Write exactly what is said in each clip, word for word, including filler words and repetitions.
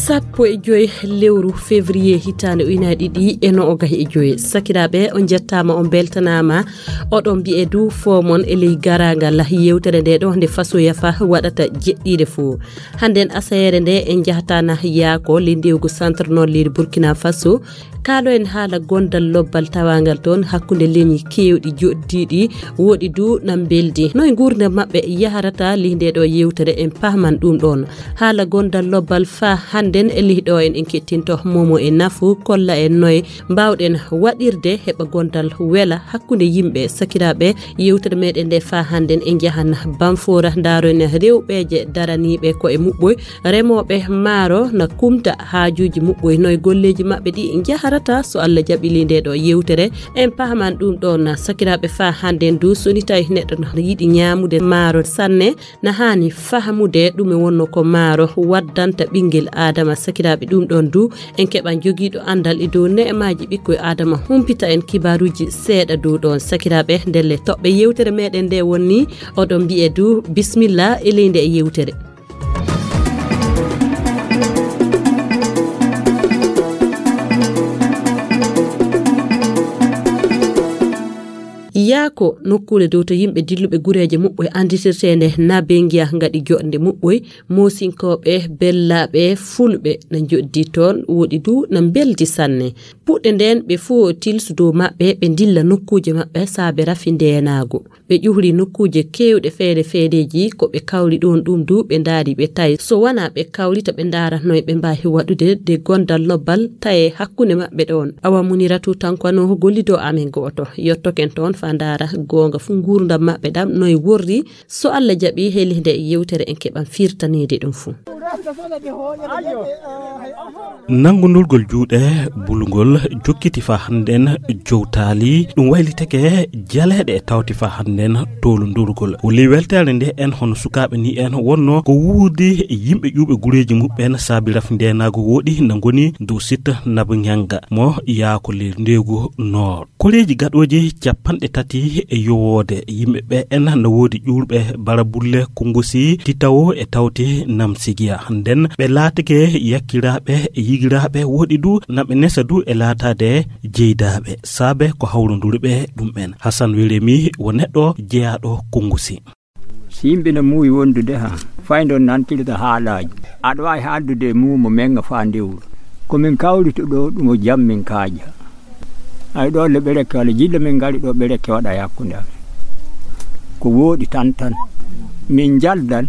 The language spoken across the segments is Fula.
Sappo e joy lewru février hitaande ujunaaji ɗiɗi e noogay e joy. Sakiraaɓe, on njettaama, on mbeltanaama. Oɗon mbiye du foomon e ley garaangal yewtere nde ɗo nde Faso Yafa waɗata jeɗɗiire fof. Hannden asayeere nde en njahata na yaako ley ndewgu centre nord leydi Burkina Faso. Kaalo en haala gondal lobbal tawaangal toon hakkunde leñi keewɗi joɗdiiɗi, woɗi du na mbeldi. Noy nguurndam maɓɓe yaharata ley nde ɗo yewtere en pahman ɗum ɗoon. Haala gondal lobbal faa hannden e ley ɗo en, en kettinto momo e nafu kolla en noy mbaawɗen waɗirde heɓa gondal wela hakkunde yimɓe. Sakiraaɓe, yewtere meɗen nde faa hannden en njahan Bamfoora, ndaaroen rewɓeeje daraniiɓe ko e muɓɓoy, remooɓe maaro na kumta haajuuji muɓɓoy, noy golleeji maɓɓe ɗi njaharata. So Allah jaɓi ley nde ɗo yewtere en pahman ɗum ɗoon. Sakiraaɓe, faa hannden du so ni tawi neɗɗo na yiɗi ñaamude maaro sanne, na haani fahamude ɗume wonno ko maaro waddanta ɓinngel Aadama. Sakiraaɓe, ɗum ɗoon du en keɓan jogiiɗo anndal e dow ne'emaaji ɓikkoy Aadama humpita en kibaaruuji seeɗa dow ɗoon. Sakiraaɓe, ndelle toɓɓe yewtere meɗen nde wonni oɗon mbiye du bismilla e ley nde yewtere. Yaako nokkuure dow to yimɓe dilluɓe gureeje muɓɓoy annditirteende Nabengiya ngaɗi joɗnde muɓɓoy, Moosinkooɓe, Bellaaɓe, Fulɓe na njoɗdi toon, woɗi du na mbeldi sanne. Puɗɗe ndeen ɓe fuu tilsu dow maɓɓe ɓe ndilla nokkuuje maɓɓe saabe rafi ndeenaagu. Ɓe ƴuhri nokkuuje keewɗe feere feereeji ko ɓe kawri ɗoon ɗum du ɓe ndaari ɓe tawi so wanaa ɓe kawrita ɓe ndaara noy ɓe mbaawi waɗude de gondal lobbal taye hakkunde maɓɓe ɗoon. Awa Muniratu Tankwano gollido amen gooto yottoken toon faa ndaara goonga fuu nguurndam maɓɓe ɗam noy worri. So Allah jaɓi heli nde yewtere en keɓan firtaneede ɗum fuu. Nanngundurgol juuɗe bulngol jokkiti faa hannden jowtaali, ɗum waylitake jaleeɗe e tawti faa hannden towlundurgol. O ley weltaare nde en hono sukaaɓe ni en wonno ko wuurdi yimɓe ƴuuɓe gureeji muɓɓen saabi rafi ndeenaagu woɗi na ngoni dow sitta Nabu Ñannga mo yaako ley ndeegu noor. Koreeji gaɗooji capanɗe tati e yowoode yimɓe ɓe en na woodi ƴuurɓe Barabulle, Kunngusi, Titawo e tawti Namsigiya. Nden ɓe laatike yakkiraaɓe e yigiraaɓe woɗi du na ɓe nesa du e laataade jeydaaɓe saabe ko hawronduri ɓe ɗum en. Hasan Weremi wo neɗɗo jeyaaɗo Kunngusi. Si yimɓe no muuyi wondude ha fayndon nantirta haalaaji, aɗa waawi haaldude e muumo men faa ndewru. Ko min kawrito ɗo ɗum o jam min kaaja. Ay ɗo le ɓereke walla jilla min ngari ɗo ɓereke waɗa e hakkunde amen. Ko wooɗi tan tan. Min njaldan,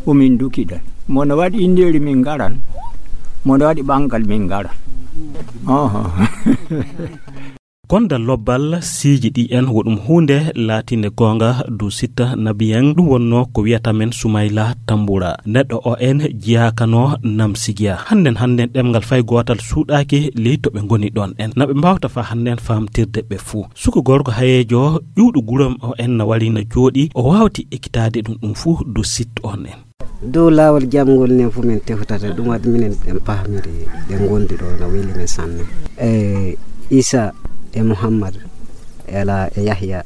o min dukidan. Mo no waɗi indeeri min ngaran, mo no waɗi ɓanngal min ngaran. Oho. Gonda lobbal siiji ɗi en wo ɗum huunde laatinde goonga dow sitta nabiyen ɗum wonno ko wiyata men Sumayla Tambura. Neɗɗo o en jiyaakano Namsigiya. Hannden hannden ɗemngal fay gootal suuɗaaki ley to ɓe ngoni ɗoon en. Na ɓe mbaawta faa hannden faamtirde ɓe fuu. Suka gorko hayeejo ƴuwɗo guram o en na wari na jooɗi o waawti ekkitaade ɗum ɗum fuu dow sitta on en. Dow laawol jam ngol nen fu min tefutata, ɗum waɗi minen en pahmiri ɓe ngondi ɗo no weli min sanne. E Isa e Muhammad ela e Yahya.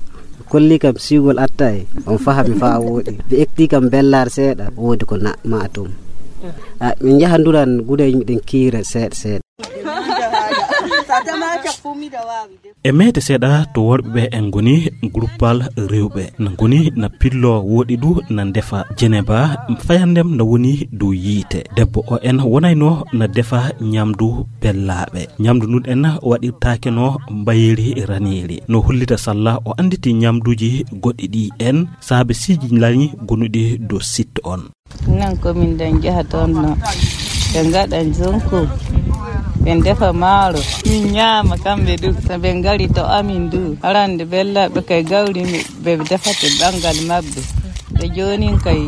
Kolli kam siwgol atta e on fahami faa wooɗi. Ɓe ekti kam bellar seeɗa, woodi ko na ma tum. A, min njaha nduran guda miɗen kiira seeɗa seeɗa. E meete seeɗa to worɓe ɓe en ngoni gruppal rewɓe na ngoni na pillo woɗi du na ndefa jeneba fayandem na woni dow yiite. Debbo o en wonayno na defa ñamdu bellaaɓe. Ñamdu ndun en waɗirtaake no mbayeri raneri. No hollita salla o annditi ñamduuji goɗɗi ɗi en saabe siiji lañi gonuɗi dow sitte on. Nan ko min ɗon njaha toon no ɓe ngaɗa jonku, ɓe ndefa maaro, min ñaama kamɓe du. So ɓe ngari to amin du, arande bellaaɓe kay gawri mi-, ɓe defate banngal maɓɓe. Ɓe joonin kay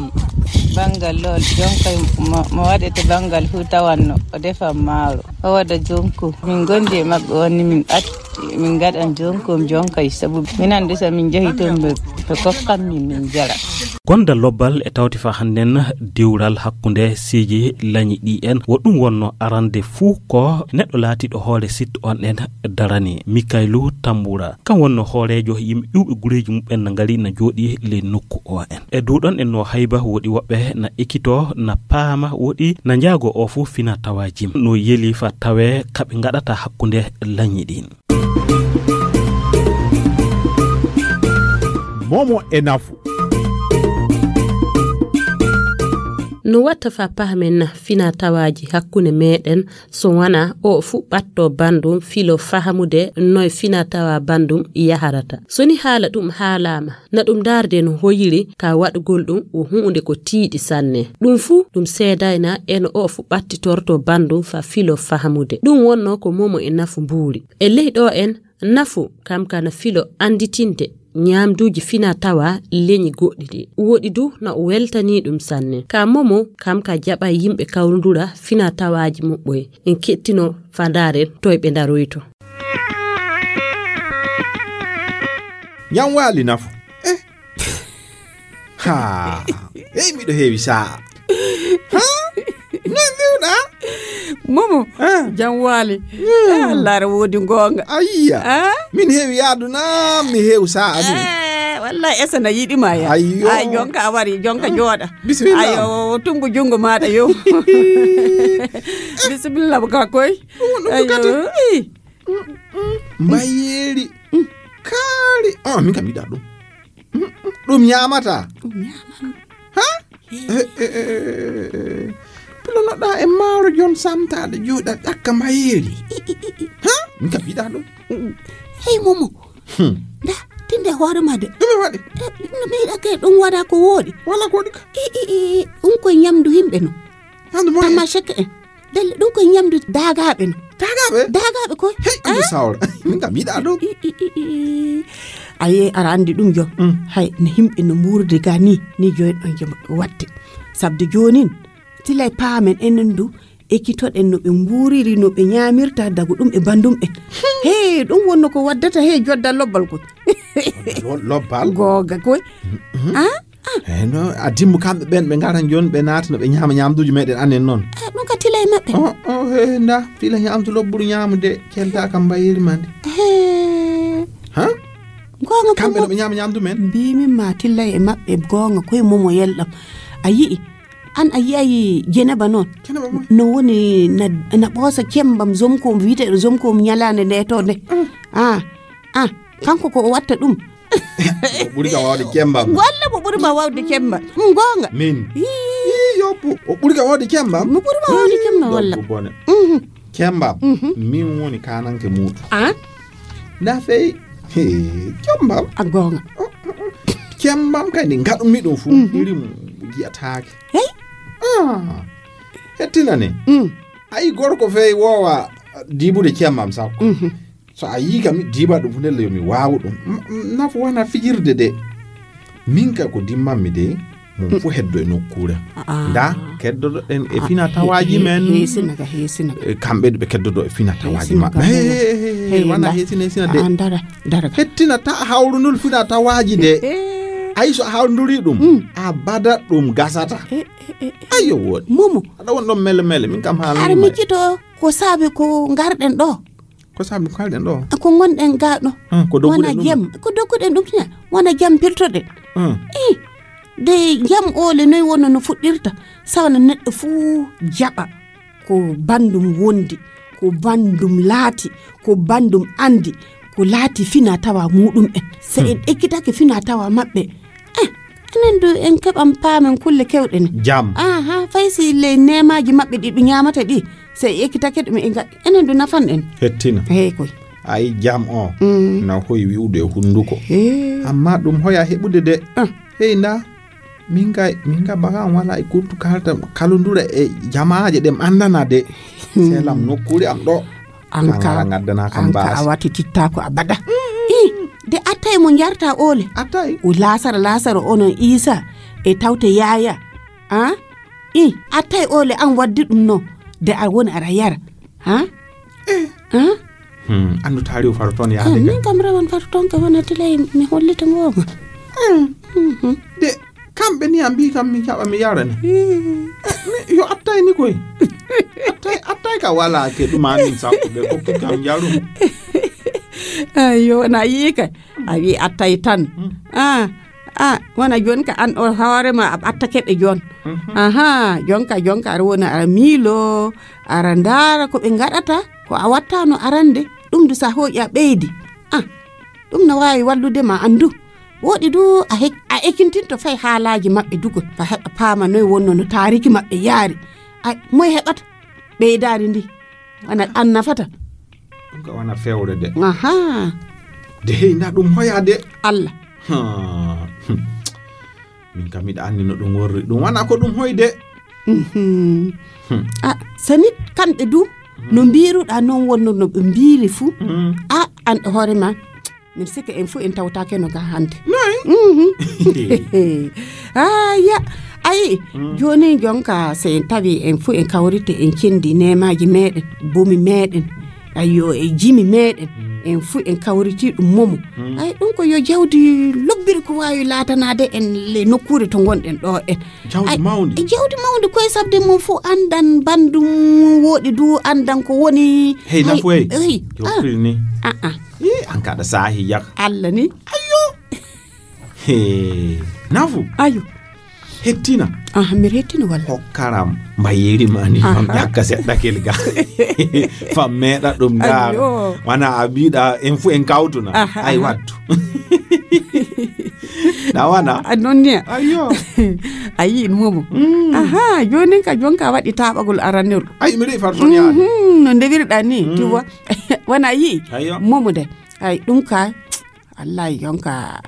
banngal lool, jon kay mo, mo waɗete banngal fuu tawanno o defan maaro, o waɗa jonku. Min ngondi e maɓɓe on ni min at-, min ngaɗan jonku, jon kay sabu minen du so min njahi toon ɓe To soskan min, min jara. Gonda lobbal e tawti fa hannden diwral hakkunde siiji lañi ɗi en. Wo ɗum wonno arande fuu ko neɗɗo laatiiɗo hoore sit on en darani. Mikaylu Tambura, kam wonno hooreejo yimɓe ƴuwɓe gureeji muɓɓen na ngari na jooɗi ley nokku o en. E duuɗon en no hayba woɗi woɓɓe na ekkito na paama woɗi na njaago o fuu fina tawaaji no yeli fa tawe kaɓe ngaɗata hakkunde lañi ɗin. Momo e nafu. No watta fa pahamen na fina tawaaji hakkunde meɗen, so wana o fuɓɓatto bandum filo fahamude noy fina tawa bandum yaharata. So ni haala ɗum haalama, na ɗum darde no hoyiri ka waɗugol ɗum o huunde ko tiiɗi sanne. Ɗum fu ɗum seedayna en o fuɓɓattitorto bandum fa filo fahamude. Ɗum wonno ko momo e nafu mbuuri. E ley ɗo en, nafu kam kana filo anditinde ñaamduuji fina tawa leñi goɗɗi ɗi. Woɗi du na o weltani ɗum sanne. Ka momo kam ka jaɓa yimɓe kawrundura fina tawaaji muɓɓoye. En kettino fa ndaaren toy ɓe ndaroyto. Ñam waali nafu. Eh. Ha. Hey, miɗo heewi sa'a. Ha? Noy mbiwɗa? Momo, ah, jam waali. Hmm. Eh, Allah ara woodi goonga. Ayya. Ah? Min heewi yaadu na mi heew sa'a min. Eh, wallahi esa na yiɗi ma ya. Ayyo. Ay, jonka a wari, jonka jooɗa. Bismillah. Ayo, tumbu jungo maɗa yo. Bismillah ka koy. Ɗum wonɗum kadi. Ayo. Ih. Mbayeeri. Kaari. Ah, min kam yiɗa ɗum. Ɗum ñaamata. Ɗum ñaamata. Ha? Eh, eh, eh, eh, eh. Pilonoɗa e maaro jon samtaade jooɗa ƴakka mbayeeri. Ha? Min kam yiɗa ɗum. Hey, Momo. Hmm. Nda, tinde hoore ma de. Ɗum e waɗi. Eh, no mi yiɗa ke ɗum waɗa ko wooɗi. Wala ko waɗi ka. I, i, i, ɗum ko ñamdu yimɓe no. Ñamdu mo. Tama en. Dalle ɗum ko ñamdu daagaaɓe no. Daagaaɓe? Daagaaɓe ko. Hey, ɗum ko sawra. Min kam yiɗa ɗum. I, i, i, i, i. Aye, ara andi ɗum jo. Mm. Hay, no yimɓe no mbuurdi ga ni, ni joyi ɗon jo watte. Sabde joonin, tilay paamen enen du, ekkitoɗen no ɓe mbuuriri, no ɓe ñaamirta, dagu ɗum e bandum en. Hey, ɗum wonno ko waddata, hey, jodda lobbal ko. Lo-, lobbal? Googa koy. Mhm. Ah? Ah. Eh, no, a dimmu kamɓe ɓen, ɓe ngaran jooni, ɓe naata no ɓe ñaama ñaamduuji meɗen anen noon. Ah, ɗum ka tila e maɓɓe. Oh, oh, he, nda, tila ñaamdu lobburu ñaamude, kelta kam mbayiri ma ndi. He. Ha? Goonga ko kamɓe no mo-, ɓe ñaama ñaamdu men? Mbiimi ma tilla e maɓɓe goonga koye momo yelɗam. A yi'i, an a yi'ayi Jeneba noon? Jeneba moy? No woni na, na ɓoosa cembam zomkom, wiyeteeɗo zomkom ñalaande nde to nde. Mm. Ah, ah, kanko ko o watta ɗum. O ɓuri kam waawde cembam. Walla mo ɓuri ma waawde cembam. Mm, goonga. Min? Ii. Ii, yoppu. O ɓuri kam waawde cembam? Mo ɓuri ma waawde cembam, walla? Debbo bone. Mhm. Cembam, mhm, min woni kananke muuɗum. Ah? Na fey. He, cembam. A goonga. Cembam kay, nde ngaɗumi ɗum fuu, mhm, irin jiyataake. Hey? Ah, hettina ne. Mm. Ayi, gorko fey woowa diibude cembam sakko. Mhm. So a yii kam, mi diiba ɗum fu, ndelle yo mi waawu ɗum. M-, m-, nafu wona fijirde de. Min kay ko dimmanmi de, mum fu heddo e nokkuure. Ah. Nda, keddoɗen e fina tawaaji men. He, he, he, sina ka, he, sina ka. E kamɓe ɓe keddodo e fina tawaaji maɓɓe. He, he, he, he, he, wona nda. He, sina, he, sina de. Ah, ndara, ndara ka. Hettina ta hawrundul fina tawaaji de. He. Ayi, so a hawrunduri ɗum, mm, a bada ɗum gasata. He, he, he, he. Ayo, woodi. Momo. Aɗa won ɗon mele mele, min kam haala. Ara miccito ko saabi ko ngarɗen ɗo. Ko saabi ko kalɗen ɗo? Ko ngonɗen ga ɗo. Ah, ko dogguɗen wona ɗum? Jam, ko dogguɗen ɗum tuma. Wona jam pirtoɗen. Ah. Eh, de jam ole noy wonno no fuɗɗirta. Sawana neɗɗo fuu jaɓa ko bandum wondi, ko bandum laati, ko bandum andi, ko laati fina tawa muɗum en. Se en ekkitake fina tawa maɓɓe. Eh, enen du en keɓan paamen kulle kewɗe ne. Jam. Aha, fay si ley neemaaji maɓɓe ɗi ɓe ñaamata ɗi, so e ekkitake ɗum e nga-, enen du nafan en. Hettina. Hey koy. Ay, jam o. Mm. Na hoy wi'ude e hunduko. He. Amma ɗum hoya heɓude de. Ah. Hey, nda. Min ga, min ga baga an wala e kurtu kalta, kalundura e jamaaje ɗe mi andana de. Hmm. Selam nokkuure am ɗo. An ka, ngaddana kam an ka baasi. A wati titta ko abada. Mm. Ih, de attay mo njarta ole. Attay. O lasara, lasara onon Isa e tawte yaya. Ah? Ih, attay ole an waddi ɗum no. De a woni ara yara. Ha? Eh. Ha? Hmm, andu taari o faro toon yaade. Ah, min kam rewan faro toon ka wona tilay mi hollita ngoonga. De kamɓe ni a mbi kam mi jaɓa mi yara ni. Yo attay ni koy. Attay, attay ka wala ke ɗuma min sappo ɓe kokki kam yarum. Ayo na yi kay. A wi attay tan. Ah, ah, wona jon ka an o hoore ma a ɓattake ɓe jon. Aha, jonka jonka aɗa wona aɗa miilo, aɗa ndaara ko ɓe ngaɗata, ko a wattano arande. Ɗum du sa hooƴi a ɓeydi. Ah, ɗum na waawi wallude ma anndu. Woɗi du a hek- a ekintinto fay haalaaji maɓɓe dugo fa heɓa paama noy wonno no taariki maɓɓe yaari. Ay, moy heɓata ɓeydaari ndi? Ana an nafata. Ɗum ka wona fewre de. Aha. De hey na ɗum hoya de. Allah. Ha. Min kam miɗa anndi no ɗum worri. Ɗum wona ko ɗum hoy de. Mhm. Hmm. A sani kamɓe du no mbiruɗa non wonno no ɓe mbiri fuu. Hmm. A an e hoore ma. Min sikka en fuu en tawtake no ga hande. Noy? Mhm. Aya. Ayi. Hmm. Joni jonka se en tawi en fuu en kawrite en cendi nemaji meɗen, bumi meɗen. Ayo e jimi meɗen. Hmm. En fuu en kawriti ɗum momo. Hmm. Ay ɗum ko yo jawdi lobbiri ko wawi latanade en le nokkure to gonɗen ɗo en. Jawdi mawndi. E jawdi mawndi koye sabde mum fof anndan banndum woɗi du anndan ko woni. Hey nafu hey. Hey. Yo ah. Firni. Ah ah. Yi an kaɗa saahi yak. Allah ni. Ayo. Hey. Nafu. Ayo. Hettina. Ah, mi hettina walla. Hokkaram mbayeri mani fam ƴakka seɗɗa kelga. Fam meɗa ɗum ngar. Wana a mbiɗa en fu en kawtuna. Ay wattu. Na wana a non ni. Ayo. A yi in momo. Aha, jonin ka jonka waɗi taɓagol arannol. Ay mi rewi farson yaade. No ndewirɗa ni tiwa. Wana yi. Momo de. Ay ɗum ka. Wallahi jonka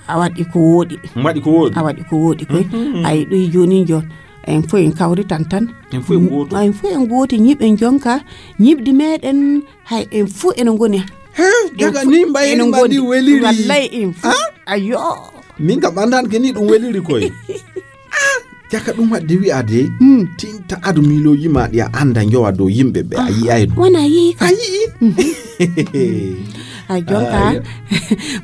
a waɗi ko woɗi. Waɗi ko woɗi. A waɗi ko woɗi koy. Ay ɗum jonin jon. En fof en kawritan tan. En fof en gooti. En fof en gooti ñiɓen jonka ñiɓdi meɗen. Hay en fof ene ngoni. He jaga ni mbayri ma ndi weliri. Wallay en fof. Ayo. Min kam andan ke ni ɗum weliri koy. Jaka ɗum waɗde wi'ade tinta adu miilooji ma ɗi a annda njowa dow yimɓe ɓe a yi'ay ɗum. Wona yi'i ka a yi'i. A jonka.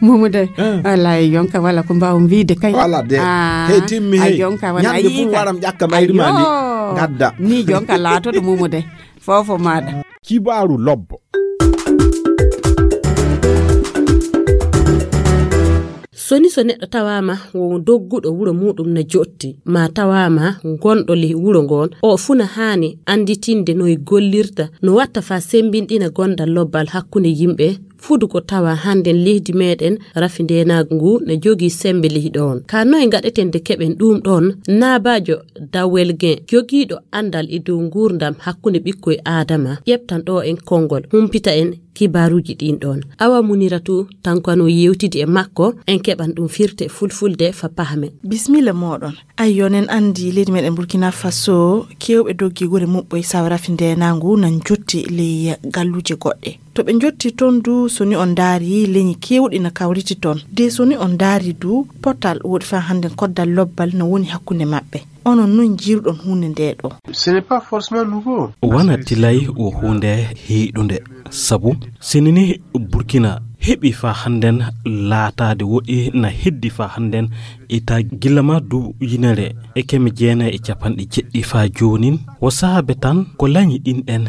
Mumude. Wala jonka wala ko mbaw mbiide kay. Wala de. Hey timmi hey jonka wala yi'i ka. Waram ƴakka mayri ma ndi gadda ni jonka laatoɗo mumude. Fofo maɗa. Kibaaru lobbo. Soni so neɗɗo tawaama wo dogguɗo wuro muɗum na jotti ma tawaama gonɗo ley wuro ngon, o funa haani annditinde noy gollirta no watta fa sembinɗina gondal lobbal hakkunde yimɓe. Fudu ko tawa hannden leydi meɗen rafi ndenaagu ngu ne jogii sembe ley ɗoon ka noy ngaɗeten de keɓen ɗum ɗoon. Naabaajo dawel gen jogiiɗo anndal e dow nguurndam hakkunde ɓikkoy aadama ƴeɓtan ɗo en konngol humpita en kibaaruuji ɗin ɗoon. Awa munira tu tankano yewtidi e makko en keɓan ɗum firte fulfulde fa pahamen. Bismilla moɗon. Ay yonen anndi leydi meɗen Burkina Faso kewɓe doggi gure muɓɓoy sawa rafi ndenangu nan jotti ley galluuje goɗɗe. To ɓe njotti toon du so ni on ndaari leñi keewɗi na kawriti toon de so ni on ndaari du potal woɗi faa hannden koddal lobbal no woni hakkunde maɓɓe. Onon nun njiiruɗon huunde ndee ɗoo? Ce n'est pas forcément nouveau. Wona tilay wo huunde heyɗunde sabu sinini Burkina heɓi faa hannden laataade woɗi na heddi faa hannden ita gilla ma du yinere e keme jeenay e capanɗe jeɗɗi faa joonin wo saabe tan ko lañi ɗin ɗen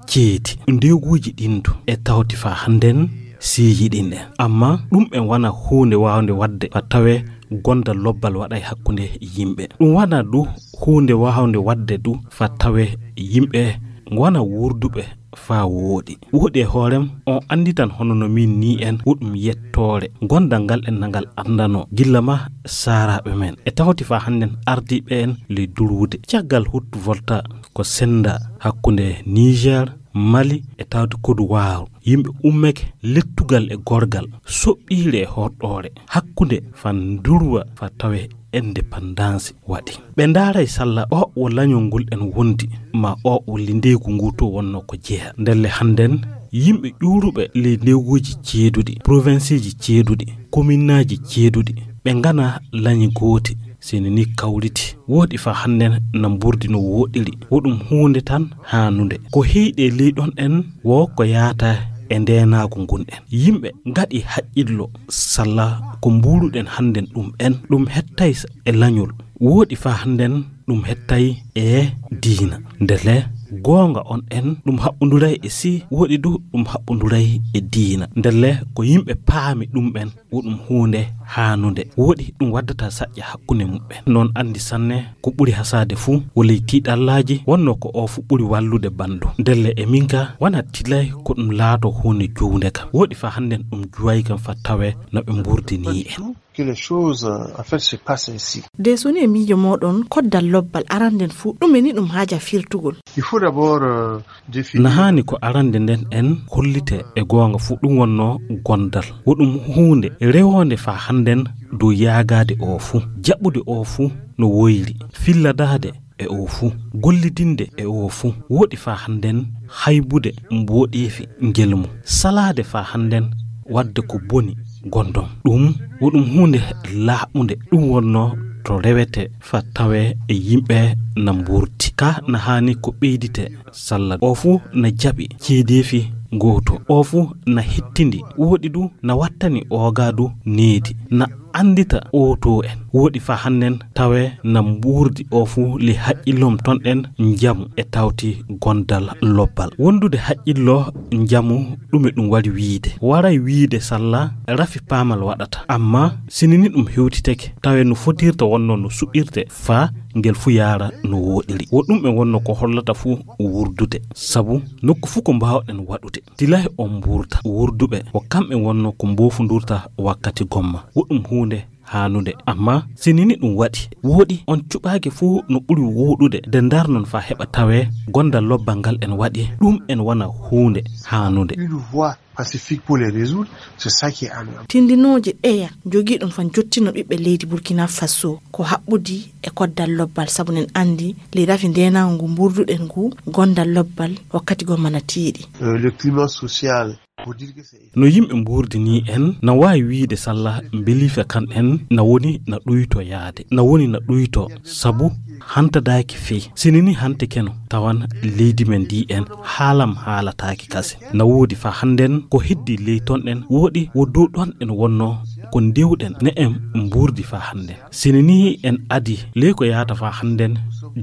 ceedi ndeeguuji ɗin du e tawti faa hannden siiyi ɗin ɗen amma ɗum en wona huunde waawnde waɗde fa tawe gonda lobbal waɗa e hakkunde yimɓe ɗum wona du huunde waawnde waɗde du fa tawe yimɓe ngona wuurduɓe faa wooɗi wooɗi e hoorem on annditan hono no min ni en woɗum yettoore gondal ngal en nangal anndano gilla ma saaraaɓe men e tawti faa hannden ardiiɓe en ley durwude caggal hut volta ko sennda hakkunde niger mali e tawti kodu waaru yimɓe ummeke lettugal e gorgal soɓɓiire e horɗoore hakkunde fan durwa fa tawe indépendance waɗi ɓe ndaaray salla o wo lañol ngol en wondi ma o wo lindeygu ngu to wonno ko jeya ndelle hannden yimɓe ƴuuruɓe ley ndewguuji ceeduɗi provinceuji ceeduɗi kominnaaji ceeduɗi ɓe ngana lañi gooti seni ni kawriti wooɗi fa hannden na mburdi no wooɗiri woɗum huunde tan haanunde ko heyɗe ley ɗon en wo ko yaata e ndeenaagu ngun en. Yimɓe ngaɗi haqqillo salla ko mbuuluɗen hannden ɗum en, ɗum hettay e lañol. Wooɗi faa hannden ɗum hettay e diina. Ndelle goonga on en ɗum haɓɓunduray e sii, wooɗi du ɗum haɓɓunduray e diina. Ndelle ko yimɓe paami ɗum en, wo ɗum huunde haanunde. Wooɗi ɗum waddata saƴƴa hakkunde muɓɓen. Noon anndi sanne ko ɓuri hasaade fuu, wo ley tiiɗallaaji wonnoo ko oo fuu ɓuri wallude banndo. Ndelle e min ka, wanaa tilay ko ɗum laatoo huunde juunde kam. Wooɗi faa hannden ɗum juway kam faa tawee no ɓe mbuurdinii en. Que les choses, euh, en fait, se passent ainsi. De so ni e miijo mooɗon, koddal lobbal aranden fuu, ɗume ni ɗum haaja firtugol? Il faut d'abord, euh, définir. Na haani ko arande nden en hollite e goonga fuu ɗum wonnoo gondal. Wo ɗum huunde rewoonde faa hannden dow yaagaade oo fuu, jaɓude oo fuu no woyri, filladaade e oo fuu, gollidinde e oo fuu, wooɗi faa hannden haybude mbooɗeefi ngelmu, salaade faa hannden waɗde ko boni gondon. Ɗum wo ɗum huunde laaɓunde, ɗum wonnoo to rewete faa tawee e yimɓe na mbuurti. Ka na haani ko ɓeydite salla. Oo fuu na jaɓi ceedeefi gooto. Oo fuu na hettindi. Wooɗi du na wattani oogaa du needi. Na anndita ootoo en. Wooɗi faa hannden tawee na mbuurdi oo fuu li haqqillom ton en njamu e tawti gondal lobbal. Wondude haqqillo njamu ɗume ɗum wari wiide? Waray wiide salla rafi paamal waɗata. Amma sinini ɗum hewtiteke, tawee no fotirta wonnoo no suɓirte faa ngel fuu yaara no wooɗiri. Wo ɗum en wonnoo ko hollata fuu wurdude. Sabu nokku fuu ko mbaawɗen waɗude. Tilay on mbuurta. Wurduɓe, wo kamɓe wonnoo ko mboofundurta wakkati gomma. Wo ɗum huunde haanunde. Amma sinini ɗum waɗi, wooɗi on cuɓaaki fuu no ɓuri wooɗude de ndarnon faa heɓa tawee gondal lobbal ngal en waɗi, ɗum en wona huunde haanunde. Une voie pacifique pour les résoudre, c'est ça qui est amiable. Tindinooje ɗeya jogiiɗon fan jottino ɓiɓɓe leydi Burkina Faso ko haɓɓudi e koddal lobbal, sabu nen anndi ley rafi ndeenaagu ngu mbuurduɗen ngu, gondal lobbal wakkati goo mana tiiɗi. Euh, le climat social, pour dire que c'est... No yimɓe mbuurdinii en, na waawi wiide salla mbeliife kan en na woni na ɗuyto yaade, na woni na ɗuyto, sabu hantadaaki fey. Sinini hante keno, tawan leydi men ndi en haalam haalataaki kase. Na woodi faa hannden ko heddi ley ton ɗen, wooɗi wo dow ɗon en wonnoo ko ndewɗen ne en mbuurdi faa hannden. Sinini en adi ley ko yaata faa hannden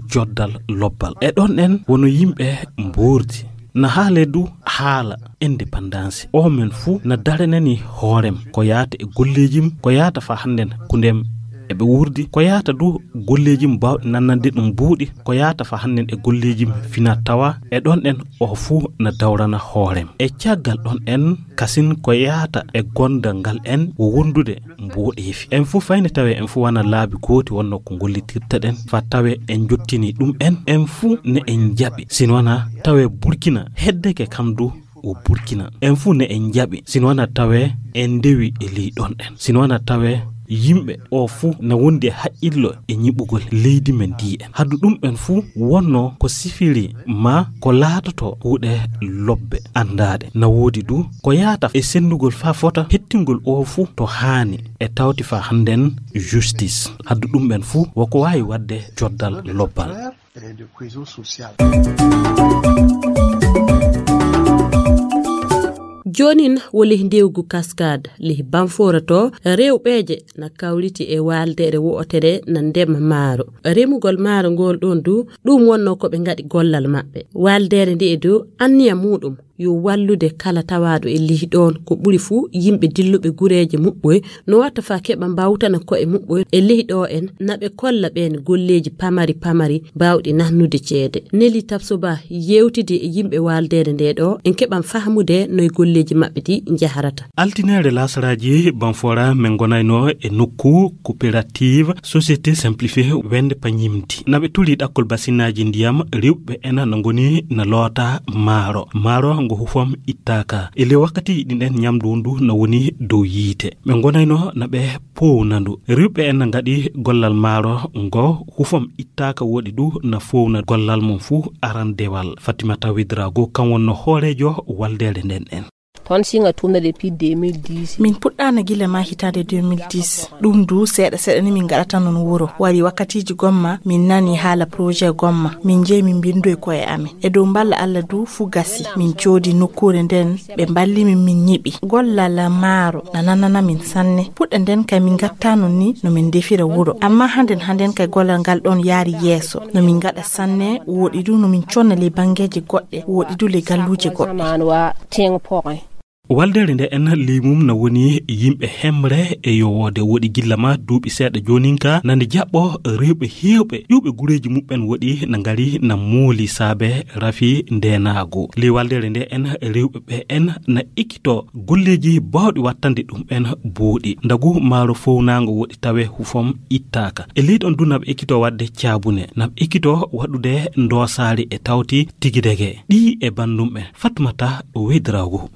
joddal lobbal. E ɗon ɗen wono yimɓe mbuurdi. Na haale du haala indépendance. O men fuu na daranani hoorem ko yaata e golleejim, ko yaata faa hannden kundem eɓe wurdi, ko yaata du golleejim baawɗi nannande ɗum buuɗi, ko yaata faa hannden e golleejim fina tawa. E ɗon ɗen o fuu na dawrana hoorem. E caggal ɗon en kasin ko yaata e gondal ngal en wo wondude mboɗeefi. En fuu fayne tawe en fuu wana laabi gooti wonno ko gollitirta ɗen, faa tawe en jottini ɗum en, en fuu ne en jaɓi. Sin wana tawe Burkina heddeke kam du o Burkina. En fuu ne en jaɓi. Sin wana tawe en ndewi e ley ɗon ɗen. Sin wana tawe yimɓe o fuu na wondi e haqqillo e ñiɓugol leydi men ndi en. Hadu ɗum en fuu wonno ko sifiri ma ko laatoto kuuɗe lobbe anndaaɗe. Na woodi du ko yaata e senndugol faa fota hettingol o fuu to haani e tawti faa hannden justice. Haddu ɗum ɓen fuu woko waawi waɗde joddal lobbal. Et de cohésion sociale. Joonin wo lih ndewgu Cascade, lih Banfora to rewɓeeje na kawriti e waaldeere wo'otere na ndema maaro. Remugol maaro ngol ɗon du, ɗum wonno ko ɓe ngaɗi gollal maɓɓe. Waaldeere nde e du anniya muuɗum yo wallude kala tawaaɗo e lih ɗon, ko ɓuri fuu yimɓe dilluɓe gureeje muɓɓoy, no watta faa keɓa mbawtana ko'e muɓɓoy e lih ɗo en, na ɓe kolla ɓeen golleeji pamari pamari baawɗi nahnude ceede. Neli Tabsoba yewtidi e yimɓe waaldeere nde ɗo, en keɓan fahmude noy golleeji maɓɓe ɗi njaharata. Altineere lasaraaji Banfora men ngonayno e nokku coopérative Société Simplifiée Wende Pañimdi. Na ɓe tuli ɗakkol basinnaaji ndiyam, rewɓe ena na ngoni na loota maaro. Maaro ngo hufam ittaaka. E ley wakkati ɗin ɗen ñamdu ndu na woni dow yiite. Ɓe ngonayno na ɓe powna ndu. Rewɓe en na ngaɗi gollal maaro ngo hufam ittaaka woɗi du na fowna gollal mum fuu arandewal. Fatimata Widrago kan wonno hooreejo waldeere nden en. On siŋa tuumna depuis deux mille dix. Min puɗɗaana gila ma hitaande deux mille dix. Ɗum du seeɗa seeɗa ni min ngaɗata noon wuro. Wari wakkatiiji gomma, min nani haala projet gomma. Min njehi min mbindoyi koye amin. E dow mballa Alla du fuu gasi. Min coodi nokkuure nden, ɓe mballi min, min nyiɓi. Gollal maaro na nanana min sanne. Puɗɗe nden kay min ngatta noon ni no min ndefira wuro. Amma handen handen kay gollal ngal ɗon yaari yeeso. No min ngaɗa sanne, wooɗi du no min conna ley banngeeji goɗɗe, wooɗi du ley galluuje goɗɗe. Waldere nde en ley mum na woni yimɓe hemre e yowoode. Woɗi gilla ma duuɓi seeɗa joonin ka, nani jaɓɓo rewɓe heewɓe, ƴuuɓe gureeji muɓɓen woɗi na ngari na mooli saabe rafi ndeenaagu. Ley waldere nde en rewɓe ɓe en na ikkito golleeji baawɗi wattande ɗum en booɗi. Ndagu maaro fownaango woɗi tawe hufom ittaaka. E ley ɗon du naɓe ikkito waɗde caabune, naɓe ikkito waɗude ndoosaari e tawti tigidege. Ɗi e banndum ɓen. Fatmata Wedraagu.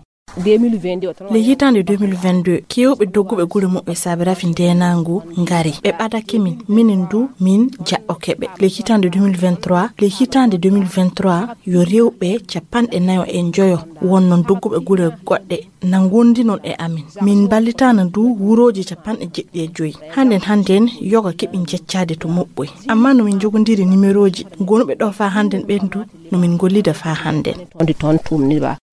Ley hitaande deux mille vingt-deux, keewɓe dogguɓe gure muɓɓe saabe rafi ndeenaangu ngari. Ɓe ɓadake min, minen du min jaɓɓoke ɓe. Ley hitaande deux mille vingt-trois, ley hitaande deux mille vingt-trois, yo rewɓe capanɗe nayo e njoyo wonnon dogguɓe gure goɗɗe na ngondi noon e amin. Min mballitaana du wurooji capanɗe jeɗɗi e joyi. Handen handen yoga keɓi jeccaade to moɓɓoy. Amma no min njogondiri nimerooji gonuɓe ɗo faa handen ɓen du, no min ngollida faa handen.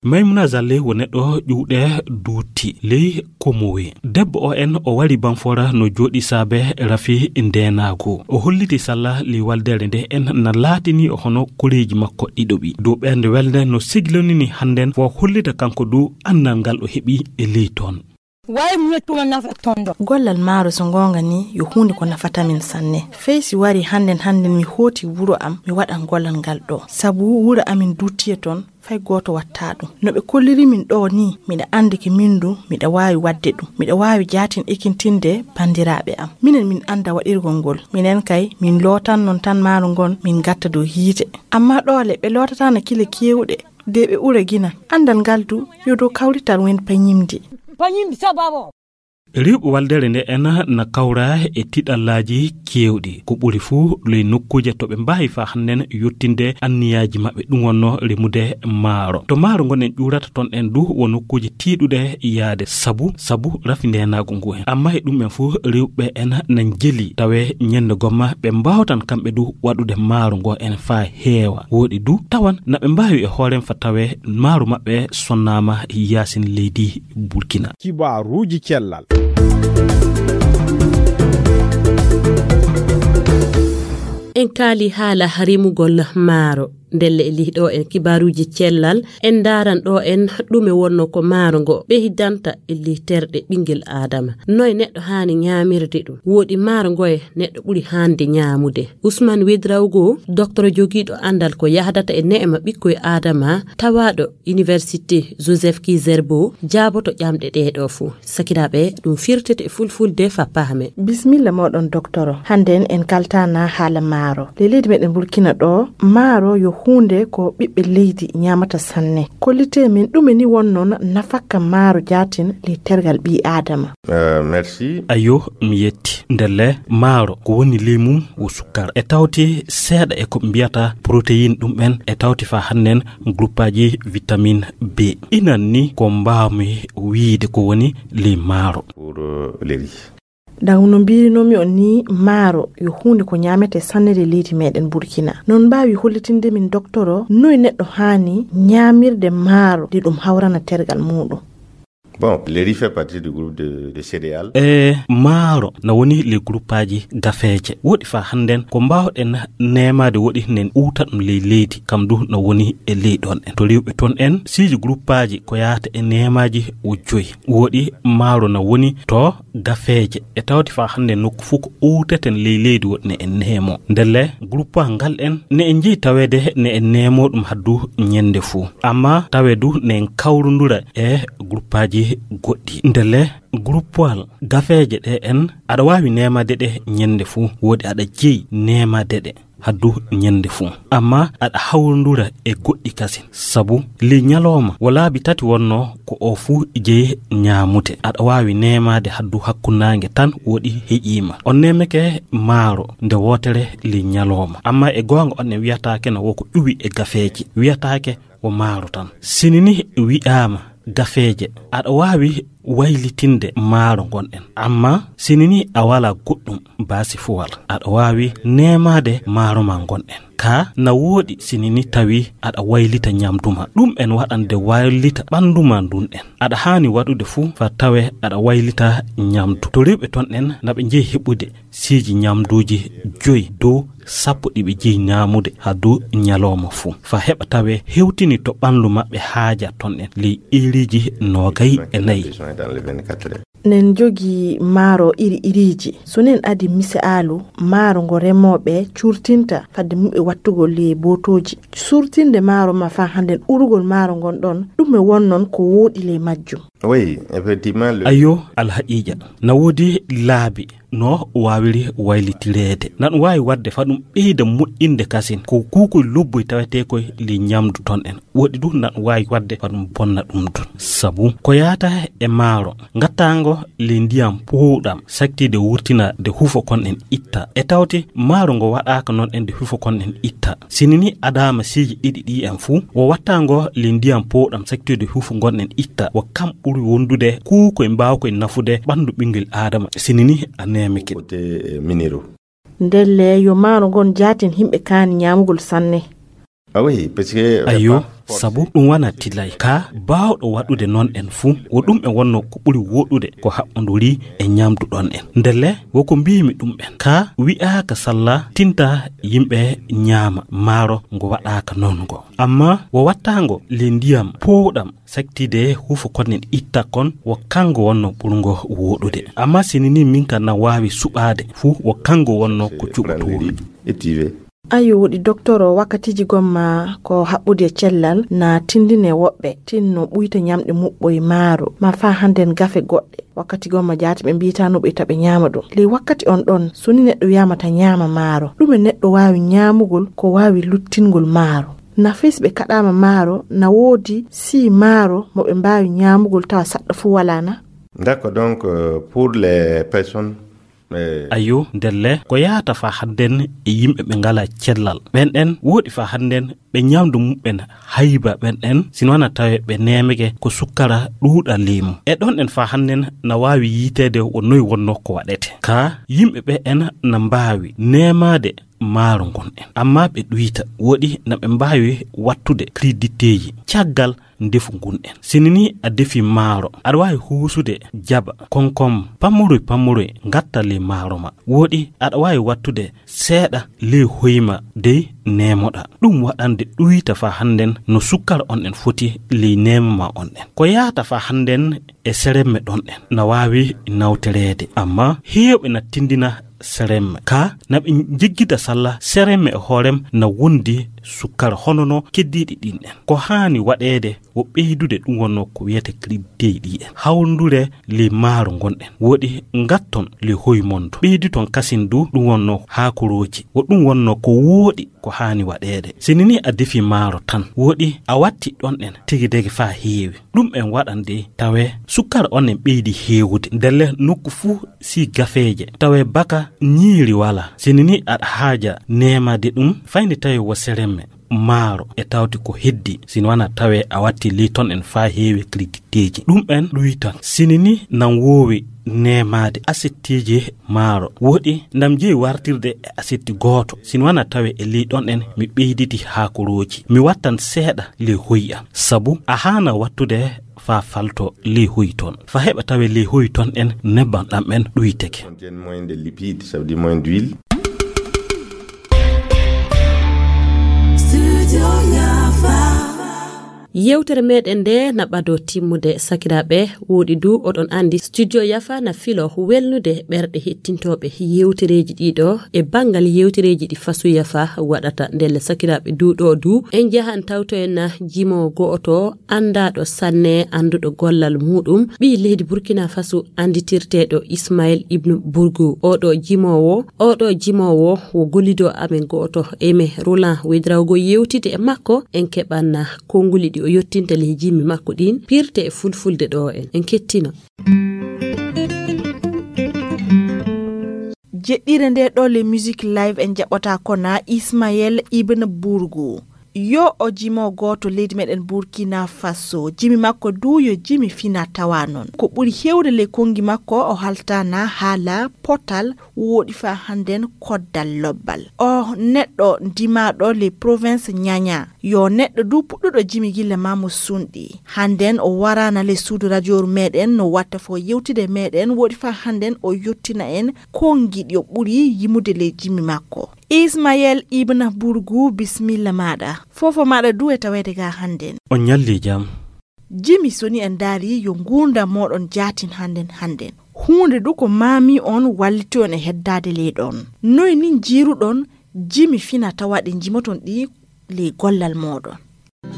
Maymuna Zalle wo neɗɗo ƴuwɗe duuti ley Komowe. Debbo o en o wari Banfora no jooɗi saabe rafi ndeenaagu. O holliti salla ley waldere nde en na laatini hono koreeji makko ɗiɗo ɓi. Dow ɓernde welde no siglonini handen wo hollita kanko du anndal ngal o heɓi e ley toon. Way muñe tuma nafa tondo. Gollal maaro so ngoonga ni yo huunde ko nafata min sanne. Fey si wari handen handen mi hooti wuro am, mi waɗan gollal ngal ɗo. Sabu wuro amin duttiye toon, fay gooto watta ɗum. No ɓe kolliri min ɗo ni, miɗa anndi ke min du, miɗa waawi waɗde ɗum. Miɗa waawi jaatin ekintinde banndiraaɓe am. Minen min annda waɗirgol ngol. Minen kay, min lootan noon tan maaro ngon, min ngatta dow hiite. Amma ɗoole, ɓe lootataana kile keewɗe. De ɓe ɓura gina. Anndal ngal du, yo dow kawrital wen pañimdi. Pañimdi sababu. Rewɓe waldere nde en na kawra e tiɗallaaji keewɗi. Ko ɓuri fuu ley nokkuuje to ɓe mbaawi faa hannden yottinde anniyaaji maɓɓe, ɗum wonno remude maaro. To maaro ngon en ƴuurata toon en du wo nokkuuje tiiɗuɗe yaade sabu, sabu rafi ndeenaagu ngu en. Amma e ɗum en fuu rewɓe en na njeli tawe ñande gomma ɓe mbaawtan kamɓe du waɗude maaro ngo en faa heewa. Wooɗi du tawan na ɓe mbaawi e hoore fa tawe maaro maɓɓe sonnaama yaasin leydi Burkina. Kibaaruuji cellal. En kaali haala rimugol maaro. Ndelle e lihɗo en kibaaruuji cellal, en ndaaran ɗo en ɗume wonno ko maaro ngo ɓeydanta e ley terɗe ɓinngel Aadama. Noye neɗɗo haani ñaamirde ɗum? Wooɗi maaro ngoye neɗɗo ɓuri haande ñaamude? Usman Wedrawgo, doktoro jogiiɗo anndal ko yahdata e neema ɓikkoy Aadama, tawaaɗo Université Joseph Kizerbo, jaaboto ƴamɗe ɗee ɗo fuu. Sakiraaɓe, ɗum firtete e fulfulde fa paame. Bismilla mooɗon, doktoro. Hannden en kaltana haala maaro. Ley leydi meɗen Burkina ɗo, maaro yo huunde ko ɓiɓɓe leydi ñaamata sanne. Kollite min ɗume ni wonno nafakka maaro jaatin ley tergal ɓii Aadama. Euh, merci. Ayo, mi yetti. Ndelle, maaro ko woni ley mum wo sukkara. E tawti seeɗa e ko ɓe mbiyata protéine ɗum ɓen, e tawti faa hannden groupaaji vitamine B. Inan ni ko mbaawmi wiyde ko woni ley maaro. Pour, euh, les riz. Daw no mbiirinomi on ni, maaro yo huunde ko ñaamete sanne ley leydi meɗen Burkina. Non mbaawi hollitinde min, doktoro, noy neɗɗo haani ñaamirde maaro nde ɗum hawrana tergal muuɗum? Bon, le riz fait partie du groupe de, de céréales. E maaro na woni ley groupaaji gafeeje. Woɗi faa hannden ko mbaawɗen neemaade woɗi nen uwta ɗum ley leydi, kam du na woni e ley ɗon en. To rewɓe toon en, siiji groupaaji ko yaata e neemaaji wo joyi. Woɗi maaro na woni to gafeeje. E tawti faa hannde nokku fof ko uwteten ley leydi woɗi ne en neemo. Ndelle groupaaji ngal en ne en njeyi taweede ne en neemo ɗum haddu ñande fuu. Amma tawe du ne en kawrundura e groupaaji goɗɗi. Ndelle groupaal gafeeje ɗe en aɗa waawi neemaade ɗe ñande fuu. Woɗi aɗa jeyi neemaade ɗe haddu ñande fuu. Amma aɗa hawrundura e goɗɗi kasin. Sabu ley ñalooma wo laabi tati wonno ko o fuu jeyi ñaamude. Aɗa waawi neemaade haddu hakkunnaange tan woɗi heƴiima. On neemeke maaro nde wootere ley ñalooma. Amma e goonga on en wiyataake no wo ko ƴuwi e gafeeje. Wiyataake wo maaro tan. Sini ni wi'aama gafeeje, aɗa waawi waylitinde maaro ngonɗen. Amma sini ni a walaa goɗɗum baasi fuwal, aɗa waawi neemaade maaro ma ngonɗen. Ka na wooɗi sini ni tawi aɗa waylita ñamdu ma. Ɗum en waɗande waylita ɓanndu ma ndun en. Aɗa haani waɗude fuu fa tawe aɗa waylita ñamdu. To rewɓe ton en na ɓe njehi heɓude siiji ñamduuji joyi dow sappo ɗi ɓe jeyi ñaamude haa dow ñalooma fuu. Fa heɓa tawe hewtini to ɓanndu maɓɓe haaja ton en ley iriiji noogay e nayi. Nen jogi maaro iri iriiji. So nen adi misaalu maaro ngo remooɓe curtinta fadde muɓɓe wattugol ley bootooji. Surtinde maaro ma faa hannden urugol maaro ngon ɗon, ɗum e won non ko wooɗi ley majjum. Oui, effectivement. Ayo, alhaqiiqa. Na woodi laabi no waawiri waylitireede. Na ɗum waawi waɗde fa ɗum ɓeyda moƴƴinde kasin. Ko kuukoy lobboy tawetee koy ley ñamdu ton en. Woɗi ɗum na ɗum waawi waɗde fa ɗum bonna ɗum ɗum. Sabu ko yaata e maaro, ngattaango ley ndiyam powɗam, saktiide wurtina de hufo kon en itta. E tawti maaro ngo waɗaaka non en de hufo kon en itta. Sini ni adaama siiji ɗiɗi ɗi en fuu, wo wattaango ley ndiyam powɗam saktiide hufo ngon en itta. Wo kam ɓuri wondude kuukoy mbaawkoy nafude ɓanndu ɓinngel aadama. Sini ni a neemike. Côté, euh, minéraux. Ndelle yo maaro ngon jaatin himɓe kaani ñaamugol sanne. Ah oui, parce que, euh, ayo, sabu ɗum wona tilay. Ka baawɗo waɗude noon en fuu, wo ɗum en wonno ko ɓuri woɗude ko haɓɓonduri e ñaamdu ɗon en. Ndelle, wo ko mbiimi ɗum en. Ka wi'aaka salla tinta yimɓe ñaama maaro ngo waɗaaka noon ngo. Amma wo wattaango le ndiyam powɗam saktiide hufo kon en itta kon wo kango wonno ɓurngo woɗude. Amma sini ni min kan na waawi suɓaade fuu wo kango wonno ko cuɓotoomi. Ayo, woɗi doktoro, wakkatiiji gomma ko haɓɓude e cellal na tindine woɓɓe tinno ɓuyta ñamɗe muɓɓoy maaro, ma faa hannden gafe goɗɗe. Wakkati gomma jaati ɓe mbiyata no ɓe ita ɓe ñaama ɗum. Ley wakkati on ɗon, so ni neɗɗo wiyama ta ñaama maaro, ɗume neɗɗo waawi ñaamugol ko waawi luttingol maaro? Na fis ɓe kaɗaama maaro, na woodi si maaro mo ɓe mbaawi ñaamugol tawa saɗɗo fuu walaa na? D'accord, donc, euh, pour les personnes, euh, ayo, ndelle, ko yaata faa hannden e yimɓe ɓe ngalaa cellal. Ɓen ɗen woodi faa hannden ɓe ñaamdu muɓɓen hayba ɓen ɗen, sino wana tawe ɓe neemege ko sukkara ɗuuɗa leemu. E ɗon ɗen faa hannden na waawi yiiteede wo noy wonno ko waɗete. Ka yimɓe ɓe en na mbaawi neemaade maaro ngon en. Amma ɓe ɗuyta, woɗi na ɓe mbaawi wattude kriditteeji caggal ndefu ngun en. Sini ni a defi maaro, aɗa waawi huusude jaba, konkom, pammoroy pammoroy, ngatta ley maaro ma. Woɗi aɗa waawi wattude seeɗa ley hoyma dey neemoɗa. Ɗum waɗande ɗuyta faa hannden no sukkara on en foti ley neema ma on en. Ko yaata faa hannden e seremme ɗon en na waawi nawtereede, amma heewɓe na tindina seremme. Ka na ɓe njiggita salla seremme e hoorem na wondi sukkara hono no keddiiɗi ɗin en. Ko haani waɗeede wo ɓeydude ɗum wonno ko wiyete kriditteeji ɗi en. Hawrundure ley maaro ngon en. Woɗi ngatton ley hoy mon du. Ɓeyditon kasin du ɗum wonno haakorooji. Wo ɗum wonno ko wooɗi ko haani waɗeede. Sini ni a defi maaro tan, woɗi a watti ɗon en tigi dege faa heewi. Ɗum en waɗande tawe sukkara on en ɓeydi heewude. Ndelle nokku fuu si gafeeje, tawe baka ñiiri walaa. Sini ni aɗa haaja neemaade ɗum, fayni tawi wo seremme maaro e tawti ko heddi, sino wana tawe a watti ley ton en faa heewi kriditteeji. Ɗum en ɗuytan. Sini ni nan woowi neemaade asettiiji maaro. Woɗi ndam jeyi wartirde e asetti gooto. Sino wana tawe e ley ɗon en mi ɓeyditi haakorooji. Mi wattan seeɗa ley hoy am. Sabu a haana wattude faa falto ley hoy ton. Faa heɓa tawe ley hoy ton en nebbam ɗam en ɗuyteke. Contiennent moins de lipides, ça veut dire moins d'huile. Yewtere meɗen nde na ɓado timmude, sakiraaɓe. Woɗi du oɗon andi Studio Yafa na filo welnude ɓerɗe hettintooɓe yewtereeji ɗiɗo e banngal yewtereeji ɗi Fasu Yafa waɗata. Ndelle sakiraaɓe du ɗo du en njahan tawtoyen jimo go'oto anndaɗo sanne, annduɗo gollal muɗum, ɓii leydi Burkina Faso, annditirteeɗo Ismail Ibn Burgu. Oɗo jimoowo, oɗo jimoowo wo gollido amen go'oto, Aimé Roland. Wedrawgo yewtide e makko, en keɓanna konnguli ɗi o yottinta ley jimmi makko ɗin, pirte e fulfulde ɗo en. En kettino. Jeɗɗire nde ɗo le Musique Live en jaɓɓata kona Ismael Ibn Burgu. Yo o jimo gooto leydi meɗen Burkina Faso. Jimi makko du yo jimi fina tawa noon. Ko ɓuri heewde ley konngi makko o haltana haala potal woɗi fa hannden koddal lobbal. O neɗɗo ndimaaɗo ley province Ñaña. Yo neɗɗo du puɗɗuɗo jimi gilla ma mo sunɗi. Hannden o waraana ley suudu rajooru meɗen no watta fo yewtide meɗen woɗi fa hannden o yottina en konngi ɗi o ɓuri yimude ley jimi makko. Ismael Ibn Burgu, bisimilla maɗa. Fofo maɗa du e taweede ga hannden. On ñalli jam. Jimi soni en daari yo nguurndam moɗon jaatin hannden hannden. Huunde du ko maami on walliti on e heddaade ley ɗon. Noy ni njiiruɗon jimi fina tawa ɗe njimoton ɗi ley gollal moɗon?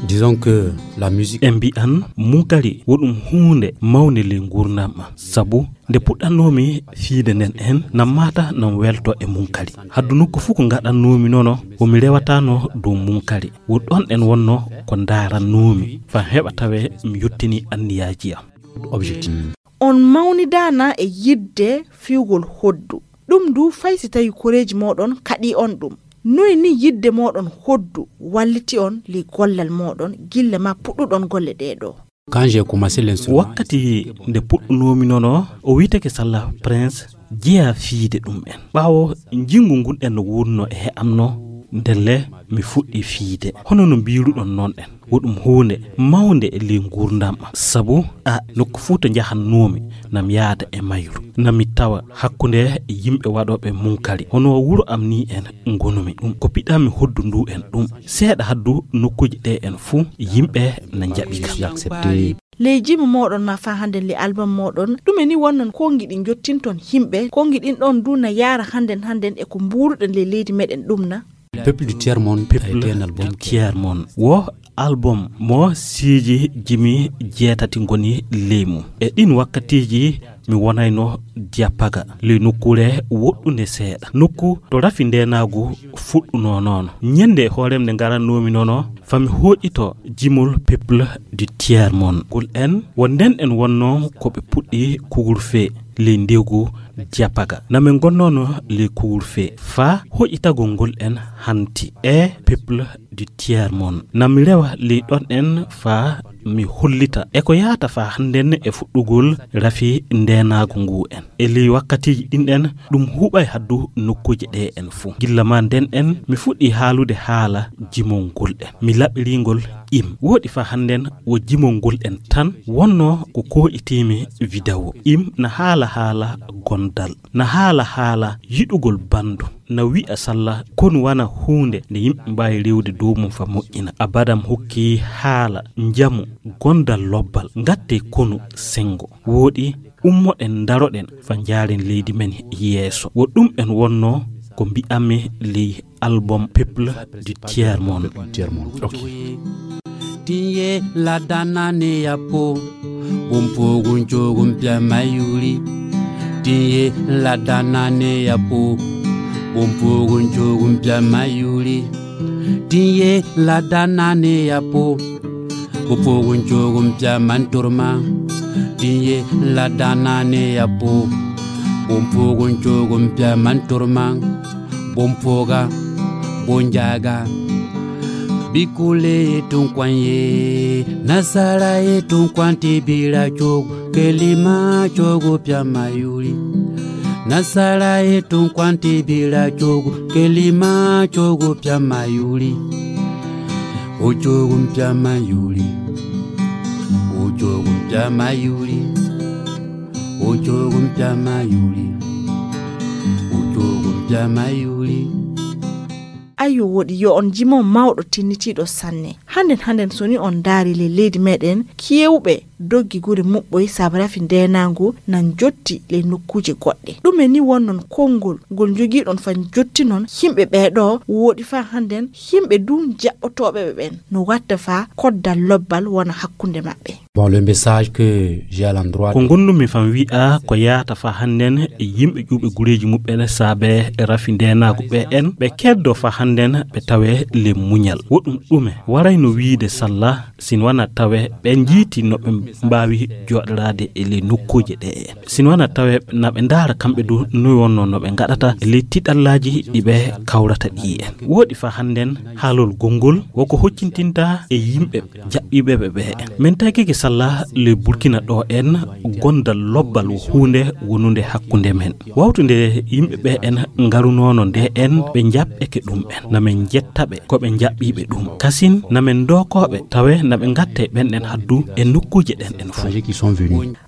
Disons que la musique. En mbi'an munkari wo ɗum huunde mawnde ley nguurndam am. Sabu nde puɗɗannoomi fiide nden en, nam maata nam welto e munkari. Haddu nokku fuu ko ngaɗannoomi nono, wo mi rewataano dow munkari. Wo ɗon en wonno ko ndaarannoomi, faa heɓa tawee mi yottinii anniyaaji am. Objectif. On mawnidaana e yiɗde fiyugol hoddu. Ɗum du fay si tawi koreeji mooɗon kaɗii on ɗum. Noy ni yiɗde mooɗon hoddu walliti on ley gollal mooɗon gilla ma puɗɗuɗon golle ɗee ɗoo? Quand j'ai commencé l'instrument. Wakkati nde puɗɗunoomi nono, o wiyeteke Salla Prince, jeyaa fiide ɗum en. Ɓaawo njinngu ngun en no wuurno e he'amno, ndelle mi fuɗɗi fiide. Hono no mbiiruɗon noon en, wo ɗum huunde mawnde e ley nguurndam am. Sabu a nokku fuu to njahannoomi, nam yaada e mayru. Nam mi tawa hakkunde yimɓe waɗooɓe munkari. Hono wuro am ni en ngonumi ɗum. Ko piɗami hoddu ndu en ɗum. Seeɗa haddu nokkuuji ɗe en fuu, yimɓe na njaɓi kam. Ley jimi mooɗon ma faa hannden ley album mooɗon, ɗume ni wonnon konngi ɗi njottinton yimɓe? Konngi ɗin ɗon du na yaara hannden hannden e ko mbuuruɗen ley leydi meɗen ɗum na? Peuple du Tiers Monde a été un album qui a Tiers Monde. Wo album mo siiji jimi jeetati ngoni ley mum. E ɗin wakkatiiji mi wonayno Diapaga, ley nokkuure woɗɗunde seeɗa. Nokku to rafi ndeenaagu fuɗɗunoo noon. Ñannde hoorem nde ngarannoomi nono, fami hooƴito jimol Peuple du Tiers Monde. Ngol en, wo nden en wonno ko ɓe puɗɗi kugurfe ley ndegu Diapaga. Na min ngonnono ley kugurfe. Faa hoƴitagol ngol en hanti e Peuple du Tiers Monde. Na mi rewa ley ɗon en faa mi hollita e ko yaata faa hannden e fuɗɗugol rafi ndeenaagu ngu en. E ley wakkatiiji ɗin ɗen, ɗum huɓay haddu nokkuuje ɗe en fuu. Gilla maa nden en, mi fuɗɗi haalude haala jimol ngol en. Mi laɓirii ngol im. Woɗi faa hannden wo jimol ngol en tan wonno ko kooƴitiimi video. Im na haala haala gondal. Na haala haala yiɗugol banndum. Na wi'a salla konu wana huunde nde yimɓe mbaawi rewde dow mum faa moƴƴina. Abadam hokki haala njamu gondal lobbal. Ngattee konu senngo. Wooɗi, ummoɗen ndaroɗen faa njaaren leydi men yeeso. Wo ɗum en wonno ko mbi'anmi ley album Peuple du Tiers Monde. Ok. Tinye la dana ne ya po, bumpugun chogun pia mayuri. Tinye la dana ne ya po, bumpugun chogun pia mayuri. Tinye la dana ne ya po, bumpugun chogun pia manturma. Tinye la dana ne ya po, bumpugun chogun pia manturma. Bompoga, bonjaga. Bikule ye tunkwanye, nasara ye tunkwante bila chogo, kelima chogo pia mayuri. Nasara ye tunkwante bila chogo, kelima chogo pia mayuri. O chogo pia mayuri. O chogo pia mayuri. O chogo pia mayuri. O chogo pia mayuri. Ayyo, woɗi yo on jimo mawɗo tinnitiiɗo sanne. Hannden, hannden, so ni on ndaari ley leydi meɗen, kewɓe doggi gure muɓɓoy sabu rafi ndeenaangu nan jotti ley nokkuuje goɗɗe. Ɗume ni wonnon konngol ngol njogiiɗon faa jottinon yimɓe ɓee ɗoo? Woɗi faa hannden yimɓe du jaɓɓotooɓe ɓe ɓen no watta faa koddal lobbal wona hakkunde maɓɓe. Bon, le message que j'ai à l'endroit. Ko ngonnumi fam wi'a ko yaata faa hannden e yimɓe ƴuuɓe gureeji muɓɓen saabe e rafi ndeenaagu ɓe en, ɓe keddo faa hannden ɓe tawe le muñal. Woɗum ɗume warayno Wiide salla, sin wana tawe ɓe njiiti no ɓe mbaawi jooɗoraade e ley nokkuuje ɗe. Sin wana tawe na ɓe ndaara kamɓe du noy wonno no ɓe ngaɗata e ley tiɗallaaji ɗi ɓe kawrata ɗi en. Wooɗi fa hannden haalol gonngol woko hoccintinta e yimɓe jaɓɓiiɓe ɓe ɓe. Min tagike salla ley Burkina ɗo en gondal lobbal wo huunde wonunde hakkunde men. Wawtunde yimɓe ɓe en ngarunono nde en ɓe jaɓɓeke ɗum en. Na min jetta ɓe ko ɓe jaɓɓiiɓe ɗum. Kasin na min dookooɓe tawe na ɓe ngatte ɓen ɗen haddu e nokkuuje ɗen ɗen fof.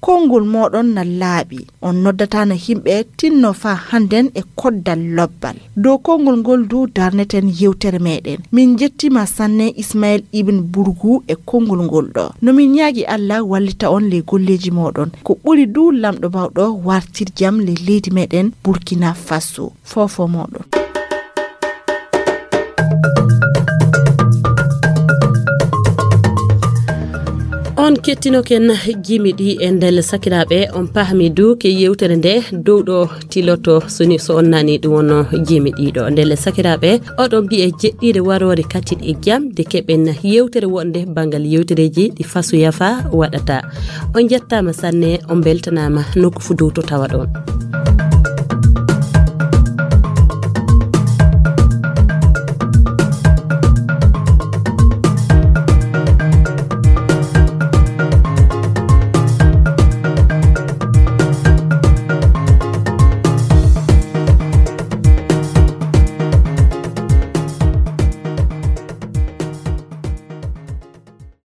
Konngol mooɗon na laaɓi. On noddataano yimɓe tinno faa hannden e koddal lobbal. Dow konngol ngol du darneten yewtere meɗen. Min njettiima sanne Ismael Ibn Burgu e konngol ngol ɗo. No min ñaagi Alla wallita on ley golleeji mooɗon. Ko ɓuri du Lamɗo Baawɗo wartir jam ley leydi meɗen Burkina Faso. Foofo mooɗon. On kettinoken jimi ɗi e ndelle sakiraaɓe, on pahmi du ke yewtere nde dow ɗo tiloto soni so on nani ɗum wonno jimi ɗiɗo. Ndelle sakiraaɓe, oɗon mbiye jeɗɗiire waroore katin e jam de keɓen yewtere wonde banngal yewtereeji ɗi faso yafa waɗata. On jettaama sanne, on mbeltanaama nokku fu dow to tawa ɗon.